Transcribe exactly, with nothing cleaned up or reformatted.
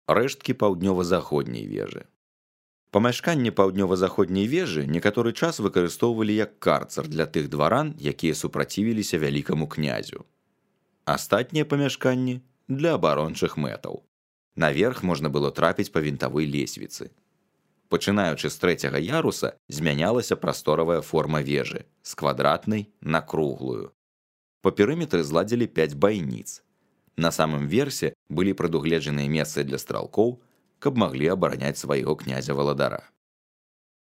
рэшткі паўднёва-заходняй вежы. Памяшканне паўднёва-заходняй вежы некаторы час выкарыстоўвалі як карцар для тых дваран, якія супрацівіліся вялікаму князю. Астатнія памяшканні для абарончых мэтаў. Наверх можна было трапіць па вінтавой лесвіцы. Пачынаючы з трэцяга яруса змянялася прасторавая форма вежы з квадратнай на круглую. Па перыметры зладзілі пяць байніц. На самым версе былі прадугледжаныя месцы для стралкоў, каб маглі абараняць свайго князя-валадара.